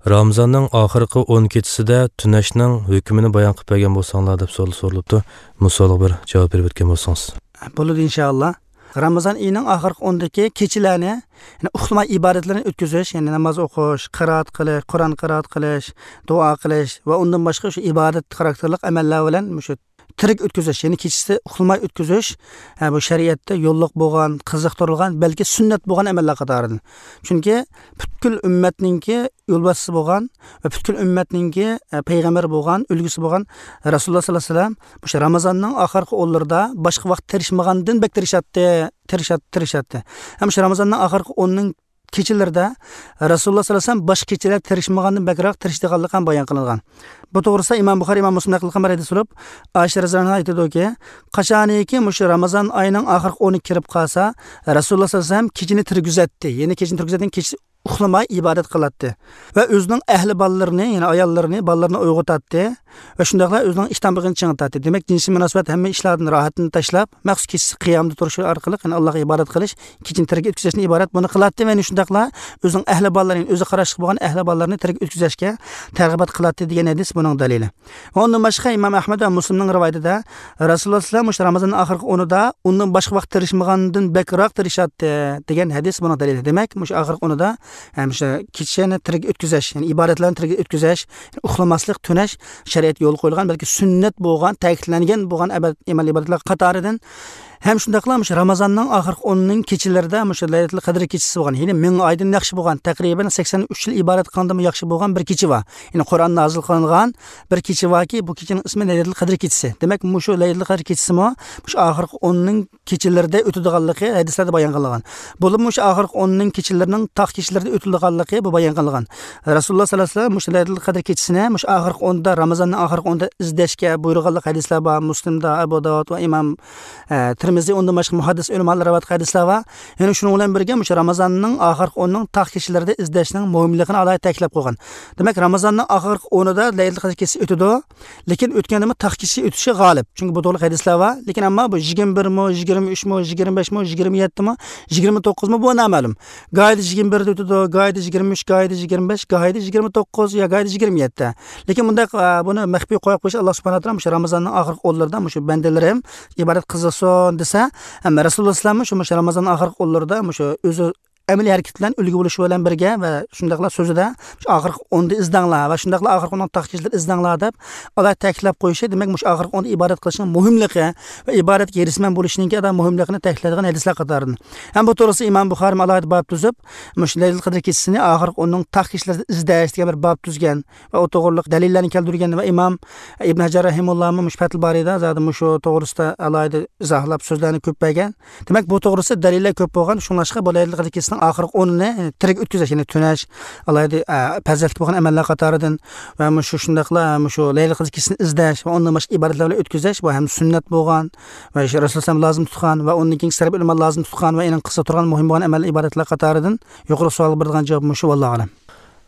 Ramazonning oxirgi 10 kechasida tunashning hukmini bayon qilib bergan bo'lsanglar deb savol so'ralibdi. Bu savolga bir javob berib o'tgan bo'lsangiz. Bo'ladi inshaalloh. Ramazon oyining oxirgi 10dagi kechalarni, ya'ni uxlamay ibodatlarni o'tkazish, ya'ni namoz o'qish, qiroat qilish, Qur'on qiroat qilish, duo qilish va undan boshqa shu ibodat xarakterli amallar bilan shu tirik o'tkazish, ya'ni kechasi uxlamay o'tkazish, bu shariatda yo'lliq bo'lgan, qiziqtirilgan, balki sunnat bo'lgan amallar qatoridan. Chunki butkul ummatninki yo'lboshchisi bo'lgan va butkul ummatninki payg'ambar bo'lgan, ulgusi bo'lgan Rasululloh sollallohu alayhi vasallam o'sha Ramazonning oxirgi o'nlarida boshqa vaqt tirishmagandan bek tirishadi. Ham shu Ramazonning oxirgi 10ning kechalarida Rasululloh sollallohu alayhi vasallam boshqa kechalar tirishmagandan bakroq tirishdiganligi ham bayon qilingan. Bu to'g'risida Imom Buxoriy, Imom Muslim naql qilgan bir hadis bo'lib, Oysha roziyallohu anha aytadiki, qachoniki mushu Ramazon oyining oxirgi 10 kirib qolsa, Rasululloh sollallohu alayhi vasallam kechani tirgizatdi. Ya'ni kechani tirgizadigan kecha uxlamay ibodat qiladi va o'zining ahli bolalarini, ya'ni ayollarini, bolalarini uyg'otadi va shundaqla o'zining ishtanbig'ini chingitadi. Demak, jinsiy munosabat hamma ishlardan rohatini tashlab, maxsus kechasi qiyamda turish orqali, ya'ni Allohga ibodat qilish, kechani tirik o'tkazishni iborat buni qiladi va shundaqla o'zining ahli bolalarini, o'zi qarashliq bo'lgan ahli bolalarini tirik o'tkazishga targ'ibot qiladi degan hadis buning dalili. Va undan boshqa Imom Ahmad va Muslimning rivoyatida Rasululloh sollallohu alayhi vasallam o'sha Ramazonning oxirgi 10ida undan boshqa vaqt tirishmagandan bakroq tirishadi degan hadis buning dalili. Demak, o'sha oxirgi 10ida ham o'sha kechani tirik o'tkazish, ya'ni ibodatlarni tirik o'tkazish, uxlamaslik, tunash shariat yo'l qo'yilgan, balki sunnat bo'lgan, ta'kidlangan bo'lgan amal ibodatlar qatoridan. Ham shundaqla o'sha Ramazonning oxirgi 10ning kechalarida o'sha Laylatul Qadr kechasi bo'lgan, ya'ni 1000 oydan yaxshi bo'lgan, taqriban 83 yil ibodat qilgandimi yaxshi bo'lgan bir kecha bor. Ya'ni Qur'on nozil qilingan bir kecha borki, bu kechaning ismi Laylatul Qadr kechasi. Demak, shu Laylatul Qadr kechasimi o'sha oxirgi 10ning kechalarida o'tadiganligi hadislarda bayon qilingan. Bo'lib o'sha oxirgi 10ning kechalarining taq kechalarida o'tilganligi bu bayon qilingan. Rasululloh sollallohu alayhi vasallam o'sha Laylatul Qadr kechasini o'sha oxirgi 10da, Ramazonning oxirgi 10da izlashga buyurganlik hadislar bor. Muslimda, Abu Dovud va Imom Tirmiziy, undan boshqa muhaddis ulamolar rivoyat qilgan hadislar bor. Ya'ni shuning bilan birga o'sha Ramazonning oxirgi 10ning taq kechalarida izlashning muhimligini alohida ta'kidlab qo'ygan. Demak, Ramazonning oxirgi 10ida Laylatul Qadr kechasi o'tadi, lekin o'tgandimi taq kechasi o'tishi g'olib. Chunki bu to'g'ri hadislar bor, lekin ammo bu 21mi, 23mi, 25mi, 27mi, 29mi bu noma'lum. Goyida 21da o'tadi, goyida 23, goyida 25, goyida 29 yo goyida 27. Lekin bunday buni maxfiy qo'yib qo'yish Alloh subhanahu va taolo o'sha Ramazonning oxirgi 10larida o'sha bandalarim ibodat qilsin desa, hamma Rasululloh sollallohu alayhi vasallam shu Ramazonning oxirgi 10larida o'sha o'zi amaliy harakat bilan ulgu bo'lishi bilan birga va shundaqla so'zida shu oxirgi 10da izdanglar va shundaqla oxirgi 10 taq kechalar izdanglar deb ular ta'kidlab qo'yishi, demak shu oxirgi 10da ibodat qilishning muhimligi va ibodatga erisman bo'lishning adam muhimligini ta'kidlaydigan hadislar qatoridan. Ham bu to'g'risida Imom Buxoriy alohida bob tuzib, shu Laylatul Qadr kechasini oxirgi 10ning taq kechalarida izlash degan bir bob tuzgan va u to'g'riliq dalillarni keltirgan va Imom Ibn Hajar rahimullohmi shu Fathul Boriyda zodi shu to'g'risida alohida izohlab so'zlarni ko'p bergan. Demak, bu to'g'risida dalillar ko'p bo'lgan, shunlashqa bu Laylatul Qadr kechasining oxirgi 10ni tirik o'tkazish, ya'ni tunash alohida fazilatli bo'lgan amallar qatoridan va shu shundaqla shu Laylatul Qadr kechasini izlash va undan boshqa ibodatlar bilan o'tkazish bu ham sunnat bo'lgan va Rasululloh lozim tutgan va undan keyin salaf ulamo lozim tutgan va eng qissa turgan muhim bo'lgan amal ibodatlar qatoridan. Yuqori savol bergan javob shu, vallohu alam.